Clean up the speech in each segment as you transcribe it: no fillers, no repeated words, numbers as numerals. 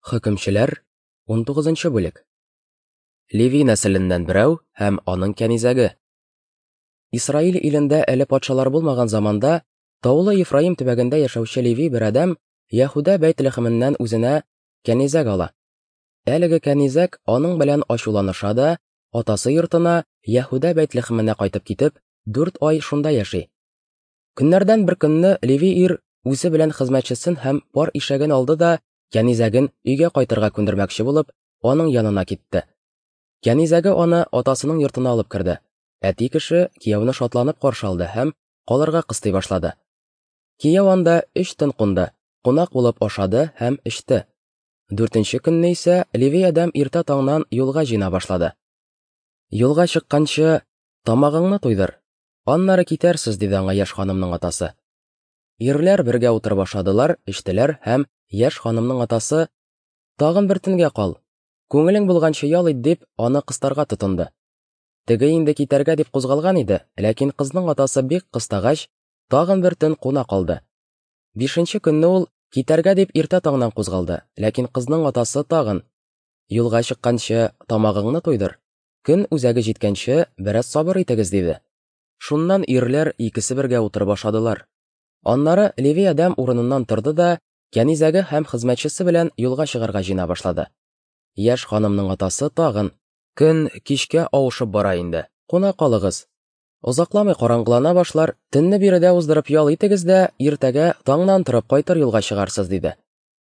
Хөкемчеләр, 19 бүлек. Леви нәселеннән берәү һәм аның кәнизәге. Исраил илендә әле патшалар булмаган заманда таулы Ефраим төбәгендә яшәүче Леви бер адәм Яһүдә Бәйтлехеменнән үзенә кәнизәк ала. Әлеге кәнизәк аның белән ачуланыша да, атасы йортына Яһүдә Бәйтлехеменә кайтып китеп, дүрт ай шунда яши. Көннәрдән бер көнне Леви ир үзе белән хезмәтчесен һәм пар ишәген алды да кәнизәген өйгә кайтырга күндермәкче булып, аның янына китте. Кәнизәге аны атасының йортына алып керде. Әти кеше кияүне шатланып каршы алды һәм калырга кыстый башлады. Кияү анда өч төн кунды, кунак булып ашады һәм эчте. Дүртенче көнне исә Леви адәм иртә таңнан юлга җыена башлады. Юлга чыкканчы, тамагыңны туйдыр, аннары китәрсез, диде аңа яшь ханымның атасы. Ирләр бергә утырып ашадылар, эчтеләр һәм яшь ханымның атасы, Тагын бер төнгә кал, күңелең булганчы ял ит, дип, аны кыстарга тотынды. Теге инде китәргә дип кузгалган иде, ләкин кызның атасы бик кыстагач, тагын бер төн куна калды. Бишенче көнне ул китәргә дип иртә таңнан кузгалды, ләкин кызның атасы тагын, Юлга чыкканчы тамагыңны туйдыр, көн үзәге җиткәнче бераз сабыр итегез, диде. Шуннан ирләр икесе бергә утырып ашадылар. Аннары Леви адәм урыныннан торды да кәнизәге һәм хезмәтчесе белән юлга чыгарга җыена башлады. Яшь ханымның атасы тагын, Көн кичкә авышып бара инде, куна калыгыз. Озакламый караңгылана башлар, төнне биредә уздырып ял итегез дә, иртәгә таңнан торып кайтыр юлга чыгарсыз, диде.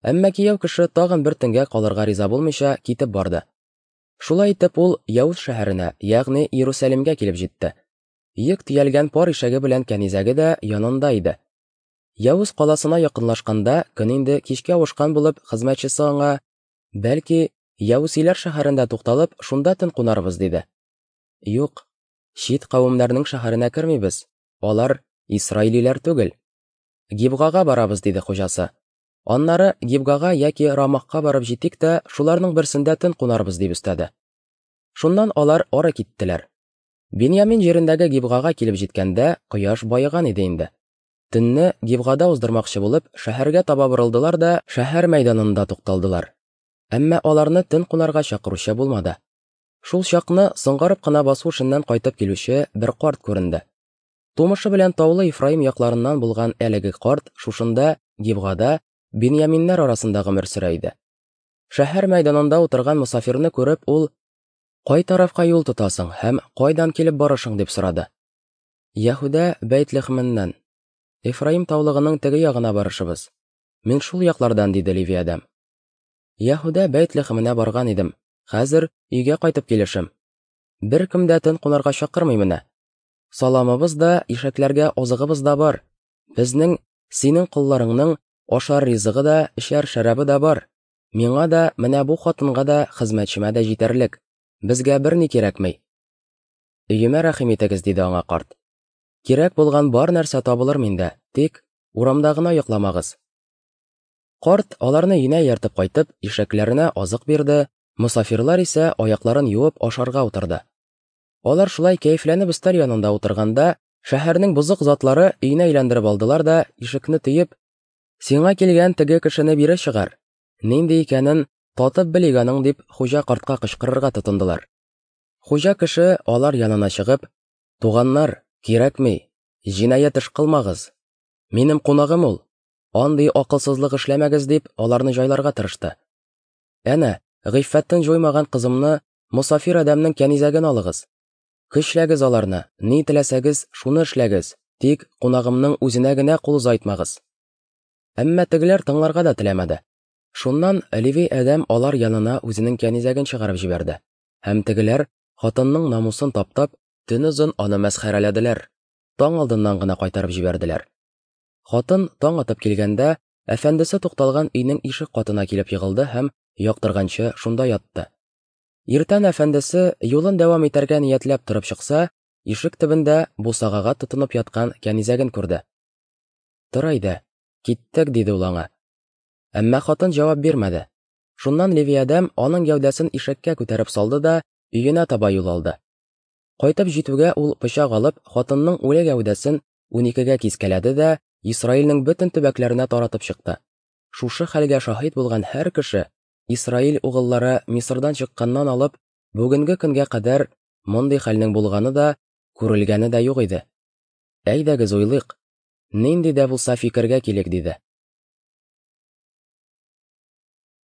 Әмма кияү кеше тагын бер төнгә калырга риза булмыйча китеп барды. Шулай итеп ул Яүз шәһәренә, ягъни Иерусалимгә килеп җитте. Йөк төялгән пар ишәге белән кәнизәге дә янында иде. Явыз каласына якынлашканда, көн инде кичкә авышкан булып, хезмәтчесе аңа, Бәлки, Явусиләр шәһәрендә тукталып, шунда төн кунарбыз, диде. Юк, чит кавемнәрнең шәһәренә кермибез, алар исраилиләр түгел. Гибгага барабыз, диде хуҗасы. Аннары Гибгага яки Рамахка барып җитик тә, шуларның берсендә төн кунарбыз, дип өстәде. Шуннан алар ары киттеләр. Беньямин җирендәге Гибгага килеп җиткәндә, кояш баеган иде инде. Төнне Гибгада уздырмакчы булып, шәһәргә таба борылдылар да шәһәр мәйданында тукталдылар. Әмма аларны төн кунарга чакыручы булмады. Шул чакны соңгарып кына басу эшеннән кайтып килүче бер карт күренде. Тумышы белән таулы Ефраим якларыннан булган әлеге карт шушында, Гибгада, Беньяминнәр арасында гомер сөрә иде. Шәһәр мәйданында утырган мосафирны күреп, ул Кай тарафка юл тотасың һәм кайдан килеп барышың дип сорады. Яһүдә Бәйтлехменнән. Эфраим таулыгының теге ягына барышыбыз. Мин шул яклардан, диде Леви адәм. Яһүдә Бәйтлехменә барган идем. Хәзер өйгә кайтып килешем. Беркем дә төн кунарга чакырмый менә. Саламыбыз да, ишәкләргә азыгыбыз да бар. Безнең, синең колларыңның ашар ризыгы да, эчәр шәрабы да бар. Миңа да, менә бу хатынга да, хезмәтчемә дә җитәрлек. Безгә берни кирәкми. Өемә рәхим итегез, диде аңа карт. Кирәк булган бар нәрсә табылыр миндә, тик урамда гына йокламагыз. Карт аларны өенә ияртеп кайтып, ишәкләренә азык бирде, мосафирлар исә аякларын юып ашарга утырды. Алар шулай кәефләнеп өстәл янында утырганда, шәһәрнең бозык затлары өйне әйләндереп алдылар да, ишекне төеп, Сиңа килгән теге кешене бире чыгар. Нинди икәнен татып белик аның, дип хуҗа картка кычкырырга тотындылар. Хуҗа кеше алар янына чыгып, Туганнар, кирәкми, җинаять эш кылмагыз. Минем кунагым ул. Андый акылсызлык эшләмәгез, дип аларны җайларга тырышты. Әнә, гыйффәтен җуймаган кызымны, мосафир адәмнең кәнизәген алыгыз. Көчләгез аларны, ни теләсәгез, шуны эшләгез, тик кунагымның үзенә генә кул озайтмагыз. Әмма тегеләр тыңларга да теләмәде. Шуннан Леви адәм алар янына үзенең кәнизәген чыгарып җибәрде. Һәм тегеләр, хатынның намусын таптап, төнозын аны мәсхәрәләделәр. Таң алдыннан гына кайтарып җибәрделәр. Хатын таң атып килгәндә, әфәндесе тукталган өйнең ишек катына килеп егылды һәм яктырганчы шунда ятты. Иртән әфәндесе юлын дәвам итәргә ниятләп торып чыкса, ишек төбендә бусагага тотынып яткан кәнизәген күрде. Тор әйдә, киттек, диде ул аңа. Әмма хатын җавап бирмәде. Шуннан Леви адәм аның гәүдәсен ишәккә күтәреп салды да өенә таба юл алды. Кайтып җитүгә ул пычак алып, хатынның үле гәүдәсен уникегә кискәләде дә Исраилнең бөтен төбәкләренә таратып чыкты. Шушы хәлгә шаһит булган һәр кеше. Исраил угыллары Мисырдан чыкканнан алып бүгенге көнгә кадәр мондый хәлнең булганы да, күрелгәне дә юк иде. Әйдәгез уйлыйк, нинди дә булса фикергә килик, диде.